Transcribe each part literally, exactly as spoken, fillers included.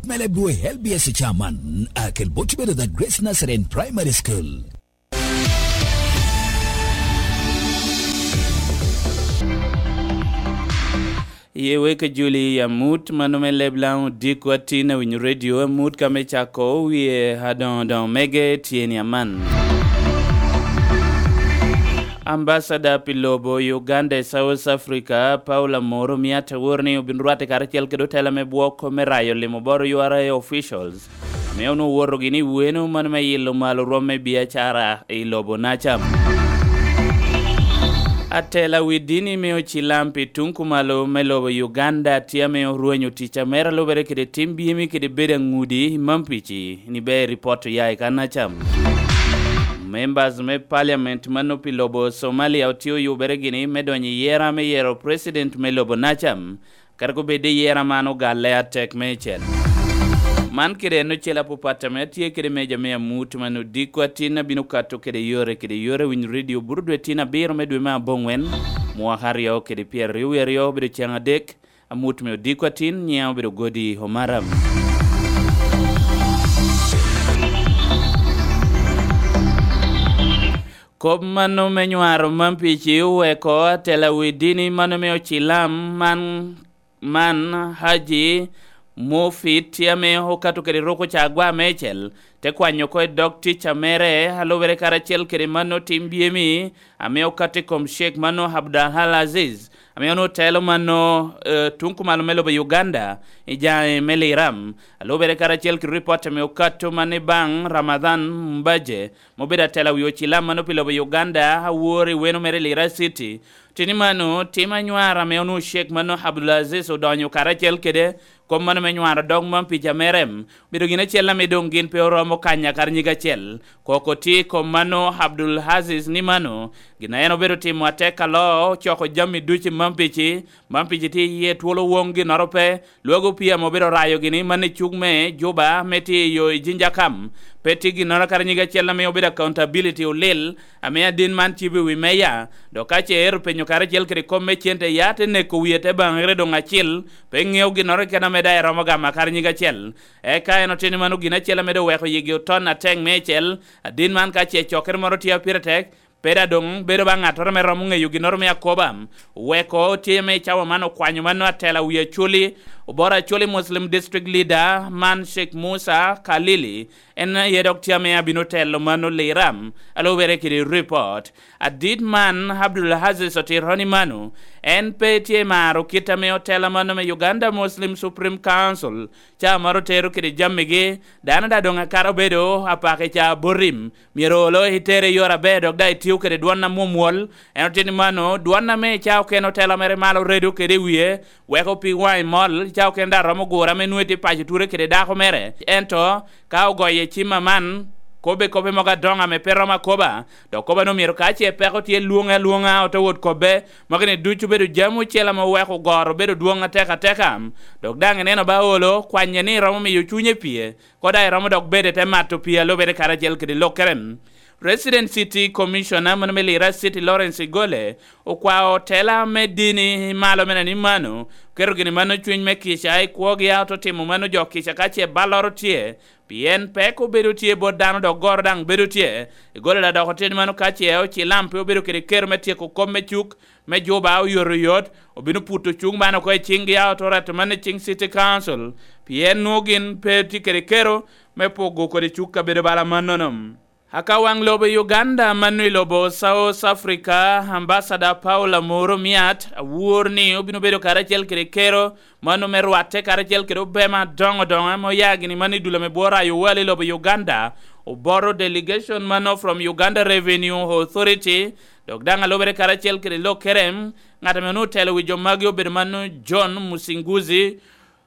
Mele Blue L B S Chairman, akel bot bedo the Grace Nazarene Primary School. Ye wek ajuli i amut mano me leb Laŋo Odiko Atin, awinyo redio amut ka me cako wie adoŋo doŋo mege tyeni aman. Ambasada pi lobo Uganda i South Africa, Paul Amoro Miat, awor ni obin rwatte karacel kede otela me bwok me rayo limo bot U R A officials, ame onwoŋo owoto gini i weno mano me ilo malo rwom me biacara i lobo Nacham. Atela wi dini me ocilam pi tuŋ kumalo me lobo Uganda tye ame orwenyo tic a mere a lubere kede tim byemi kede bedo aŋudi i Mampici, ni ber ripot oya i kan Nacham. Members me Parliament mano pi lobo Somalia otye oyubere gini me donyo i yera me yero President me lobo Nacham, kadi kobed ni yera man ogalle atek meicel. Man kede en ocel apapat ame atye kede meja me amut mano Odiko Atin abino kato kede yore kede yore, winyo redio buro dwe tin abiro me dwe me aboŋwen, mwaka aryo kede pyeraryo wie aryo obedo ceŋ adek. Amut me Odiko Atin nyiŋa obedo Godi Omaram. Kop mano me nywaro Mampici oweko atela wi dini mano me ocilam man, man Haji Mufit ame okato kede ruko ca agwa mecel, te kwanyo oko i dog tic a mere, a lubere karacel kede mano tim byemi ame okato i kom Sheikh mano Abdalhal Aziz, ame onwoŋo telo mano, eh, tuŋ kumalo me lobo Uganda i jaŋe me Liram, a lubere karacel kede ripot ame okato man i baŋ Ramadhan Mbaje, ma obedo atela wi ocilam mano pi lobo Uganda, awor i weno mere Lira City. Tini mano, tim anywar ame onwoŋo Sheikh mano Abdulaziz odonyo karacel kede kop mano me nywaro dog Mampici a mere, obedo gin acel ame doŋ gin pe oromo kanya kara nyig acel. Koko tye i kom mano Abdul Aziz ni mano, gin a en obedo timo atek aloo, ocoko jami ducu i Mampici, Mampici tye iye twolo woŋ ginnoro pe, lwak opii ame obedo rayo gini man i cuk me Juba me tye i yo i Jinjakam. Pe tye ginnoro kara nyig acel ame obedo accountability olil, ame adin man cibo i wi meya. Dok ka ce ero penyo karacel kede kop me cente ya te neko wie te baŋere doŋ acil, pe ŋeo ginnoro keken ame daŋ eromo gamo kara nyig acel. Eka en oteni mano gin acel ame doŋ oweko yigi oton atek meicel, adin man ka ce cokere moro tye a pire tek, pe daŋ doŋ bedo ba ŋattoro me romo ŋeyo ginnoro me akoba. Weko tye me cawa man okwanyo mano atela wi Acholi, oboro Acholi Muslim District Leader man Sheikh Musa Khalili, en aye dok tye ame abino telo mano Liram, a lubere kede report. Adit man, Abdul Aziz otito ni mano, en pe tye maro kit ame otela mano me Uganda Muslim Supreme Council, ca maro tero kede jamigi, dano daŋ doŋ akato bedo apake ca borim, myero olo itere i yore aber, dok daŋ itio kede dwon a mwomwol. En otito ni mano, dwon ame ca okene otela mere malo redo kede i wie, weko pi waŋ imol, ca okene daŋ romo gure ame nwoŋo tye paco ture kede dako mere. Ento ka ogoye cim aman, kobbe kobbe mogo adoŋo ame pe romo akoba, dok kobba ni omyero ka ce peko tye lwoŋe alwoŋa, ote wot kobbe, magi ni ducu bedo jami ocel ame oweko ogoro bedo dwoŋ atek ateka. Dok daŋ ineno ba olo, kwanye ni romo miyo cunye pie, koda iromo dok bedo i te mato pii a lubere karacel kede lokere. Resident City Commissioner mano me Lira City, Lawrence Igole, okwao otela me dini i malo mene ni mano, keto gini mano cuny me kica i kwogi a oto timo mano jo kica ka ce balloro tye, pien peko bedo tye bot dano dok goro daŋ bedo tye. Igole daŋ dok otito mano ka ce ocilam pe obedo kede kero me tyeko kop me cuk me Juba oyotoyot, obino puto cuŋ man oko i ciŋgi a oto reto man i ciŋ City Council, pien nwoŋo gin pe tye kede kero me pogo kodi cuk kabedo bala mannono. Aka waŋ lobo Uganda mano i lobo South Africa, Ambassador Paul Amoro Miat, awor ni obino bedo karacel kede kero mano me rwatte karacel kede obema adoŋo doŋo ame oya gini mano i dul ame bworo ayo wal i lobo Uganda, oboto delegation mano from Uganda Revenue Authority, dok daŋ alubere karacel kede lokere. Ŋat ame onwoŋo telo wi jo magi obedo mano John Musinguzi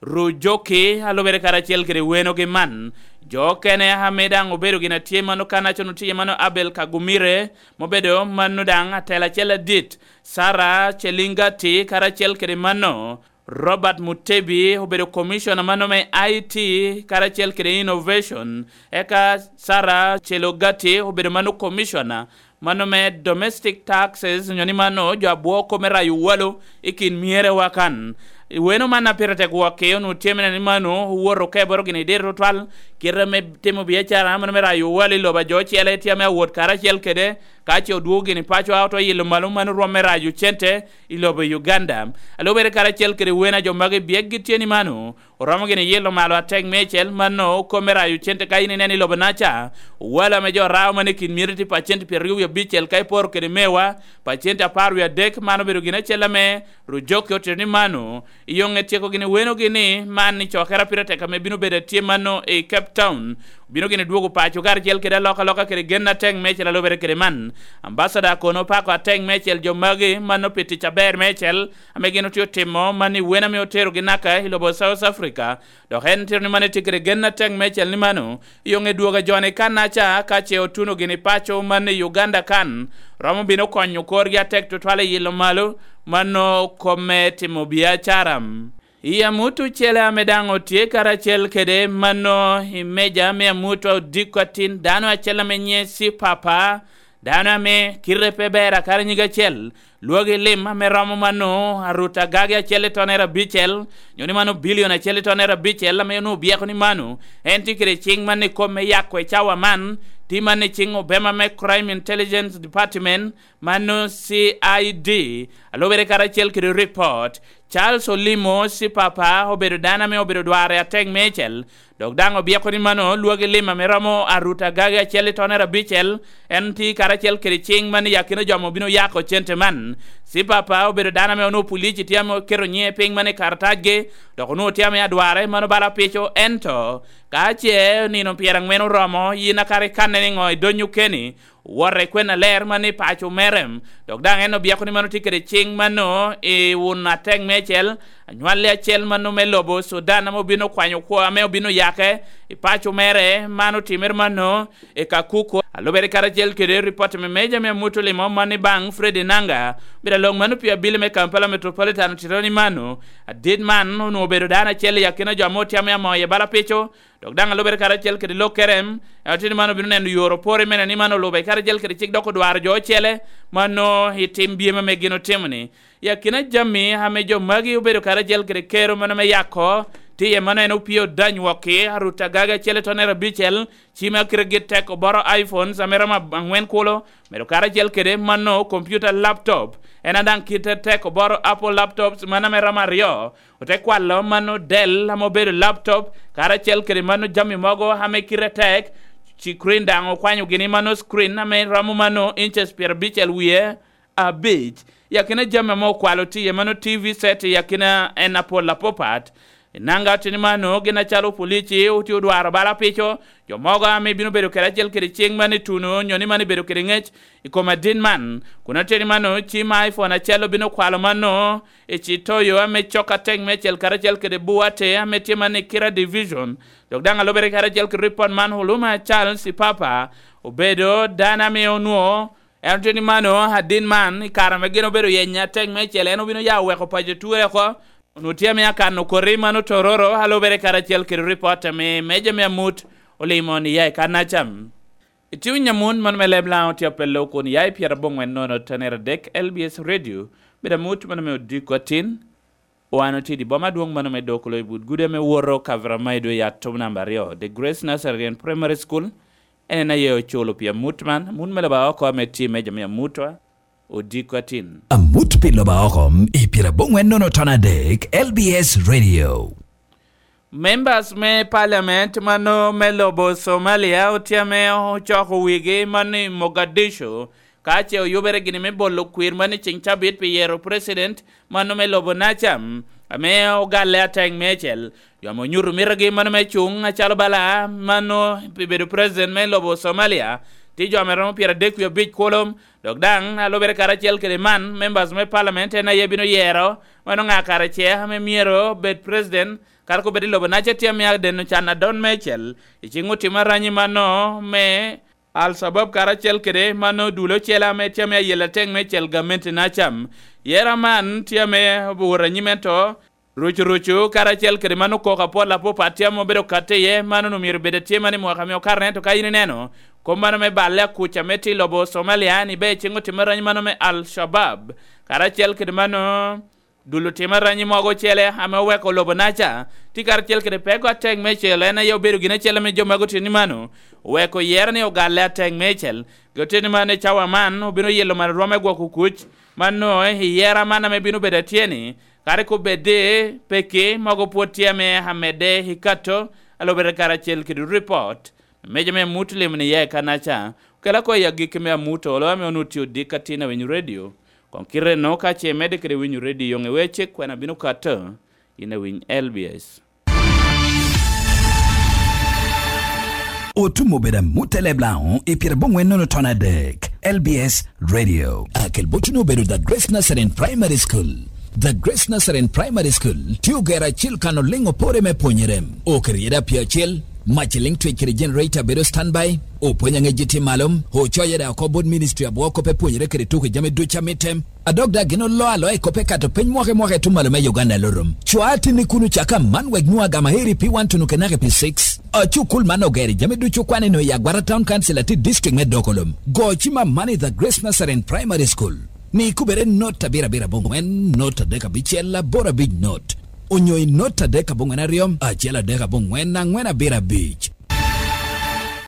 Rujoki, alubere karacel kede wenogi man. Jo okene ame daŋ obedo gin atye mano kan acon otye mano Abel Kagumire, mobedo mano daŋ atela acel adit, Sarah Chelingati, karacel kede mano Robert Mutebi obedo commissioner mano me I T karacel kede innovation, eka Sarah Chelogati obedo mano commissioner mano me domestic taxes, onyo ni mano jo abwoko me rayo walo i kin myerewa kan. Weno man a pire tek wok-ki onwoŋo tye mene ni mano owoto ka eboro gini dito tutwal, kite me timo biacara, mano me rayo owal i lobo a jo ocele tye ame awot karacel kede, ka ce odwogo gini paco a oto yilo malo mano rwom me rayo cente i lobo i Uganda. A lubere karacel kede weno a jo magi byek gitye ni mano, oromo gini yilo malo atek meicel, mano kop me rayo cente ka in ineno i lobo naca, owal ame jo rao mano i kin myero tye pacent pyeraryo wie abicel ka iporo kede mewa, pacent apar wie adek, mano obedo gini acel ame Rujokki otito ni mano, i yoŋe tyeko gini wenogi ni man ni cokere pire tek ame bino bedo tye mano i Cape Town, obino gini dwogo paco karacel kede alokaloka kede gen atek meicel a lubere kede man. Ambasada kono opako atek meicel jo magi mano pi tic aber meicel ame gin otye otimo man i wen ame oterogi naka i lobo South Africa, dok en tito ni mano tye kede gen atek meicel ni mano, i yoŋe dwogo a jo-ni kannaca ka ce otuno gini paco man i Uganda kan, romo bino konyo korgi atek tutwal i yilo malo, mano kop me timo biacara. I amut ocele ame daŋ otye karacel kede mano i meja me amut odiko atin, dano acel ame nyiŋe Sipapa, dano ame kite pe ber akara nyig acel, lwagi lim ame romo mano arut agagi acel i tonere abicel, nyo ni mano bilion acel i tonere abicel, ame onwoŋo obyeko ni mano en tye kede ciŋ man i kop me yako i cawa man, tye man i ciŋ obema me Crime Intelligence Department, mano C I D, a lubere karacel kede ripot. Charles Olimo Sipapa obedo dano ame obedo dwarre atek meicel, dok daŋ obyeko ni mano lwagi lim ame romo arut agagi acel i tonere abicel, en tye karacel kede ciŋ man i akina jo ame obino yako cente man. Sipapa obedo dano ame onwoŋo pulici tye ame oketo nyiŋe piny man i kartacgi, dok onwoŋo tye ame adwarre mano bala pico, ento ka ce nino pyeraŋwen oromo, yin akara ikanne ni ŋo i dony okeni, owoto i kwen aler man i paco mere, dok daŋ en obyeko ni mano tye kede ciŋ mano i wun atek meicel, anywalli acel mano me lobo Sudan ame obino kwanyo kwo ame obino yake i paco mere, man otimere mano i Kakuku. A lubere karacel kede ripot me meja me amut olimo man i baŋ Fred Enanga, obedo aloŋ mano pi abili me Kampala Metropolitan otito ni mano, adit man onwoŋo obedo dano acel i akina jo ame otye ame amoye bala pico, dok daŋ a lubere karacel kede lok kerem, en otito ni man obino neno yore opore mene ni man olube karacel kede cik dok odwaro jo ocele, mano i tim byema ame gin otimo-ni. I akina jami ame jo magi obedo karacel kede kero mano me yako, tye iye mano en opio dany wokki, arut agaga acel i tonere abicel, cime akitegi tek oboro iPhones ame romo ab-, aŋwen kulo, medo karacel kede mano computer laptop, en a daŋ kite tek oboro Apple laptops mano ame romo aryo, ote kwalo mano Dell ame obedo laptop, karacel kede mano jami mogo ame kite tek, screen daŋ okwanyo gini mano screen ame romo mano inches pyerabicel wie abic. I akina jami ame okwalo tye iye mano T V set, i akina en apol apapat. Enanga otito ni mano gin acalo polici otye odwaro bala pico, jo mogo ame bino bedo kede acel kede ciŋ man ituno, nyo ni man ibedo kede ŋec i kom adit man. Kun otito ni mano, cim iPhone acel obino kwalo mano i Citoyo ame cok atek meicel karacel kede Buate ame tye man i Kira Division. Dok daŋ a lubere karacel kede ripot man, Huluma Charles Ipapa obedo dano ame onwoŋo, en otito ni mano adit man i kare ame gin obedo yenya atek meicel, en obino ya oweko paco ture oko. Onwoŋo tye ame akano koti mano Tororo, a lubere karacel kede ripot ame meja me amut olimo ni ya i kan acam. Itye winyo amut mano me leb Laŋo tye apello kun ya i pyeraboŋwen nono tenere adek L B S Radio, bedo amut mano me odiko atin, oano tye i boma adwoŋ mano me doko loyo but gudo ame woto Kavira Maido i atum namba aryo, The Grace Nazarene Primary School, en en aye oculo pi amut man, amut me loba oko ame tye i meja me amutwa, odiko atin. Amut pi loba oko i pyeraboŋwen nono ton adek L B S Radio. Members me Parliament mano me lobo Somalia otye ame ocoko wigi mano i Mogadishu, ka ce oyubere gini me bolo kwir mano i ceng cabit pi yero president mano me lobo naca, ame ogalle atek meicel. Jo ame onyuto mitigi mano me cuŋ acalo bala mano pi bedo president me lobo Somalia, tye jo ame romo pyeradek wie abic kulu, dok daŋ a lubere karacel kede man, members me Parliament en aye bino yero mano ŋa kare ce ame myero bed president, kara kobedi lobo naca tye ame adeno can adon meicel, i ciŋ otimo aranyi mano me Al-Shabab karacel kede mano dul ocele ame tye ame ayel atek meicel gamente naca. Yera man tye ame owoto anyim, ento rucurucu karacel kede mano koko apol apapat tye ame obedo katte iye, mano onwoŋo myero bed atye mano i mwaka ame okato, ento ka in ineno kop mano me balle akuc ame tye i lobo Somalia ni be ciŋ otimo aranyi mano me Al-Shabab, karacel kede mano Dul otim aranyi mogo ocele ame oweko lobo-naca tye karacel kede peko atek meicel, en aye obedo gin acel ame jo magi otito ni mano oweko yero ni ogalle atek meicel. Gin otito ni mano i cawa man obino yelo man rwom me gwoko kuc mano i yera man ame bino bedo atye ni, kare kobedde peki mogo pwod tye ame amedde i kato alobere karacel kede ripot. Meja me amut limo ni ya i kanaca okela ko i agikki me amut olo ame onut tye odik atin awinyo redio. Koŋ kite no ka ce imedde kede winyo redio yoŋ iwe cik kwena bino kato yin awiny L B S. Otum obedo amut eleb laŋo i pire boŋwen nono ton adek. L B S Radio. Akel botuni obedo The Grace Nazarene Primary School. The Grace Nazarene Primary School tye ogero acil kan oliŋ opore me pwonyere. Oketo iye dapio acel, mac liŋ twec kede generator bedo standby, opwony aŋec tye malo, ocoyo daŋ oko bot ministry abwoko pe pwonyere kede tuko jami ducu amitte. A dok daŋ gin oloo aloa i kop ekato piny mwaka i mwaka i tuŋ malo me Uganda i Lorom. Cwa atinni kun ocak aman wek nwoŋo agama heri P one tunu kenaka P six. Acukul man ogero i jami ducu kwan eno i Agwata Town Council atit district me Dokolom. Go cim aman i The Grace Nazarene Primary School. Ni kubere not abiro abiro aboŋwen, not adek abicel, aboro abic not. Onyo i not adek aboŋwen aryo, acel adek aboŋwen, aŋwen abiro abic.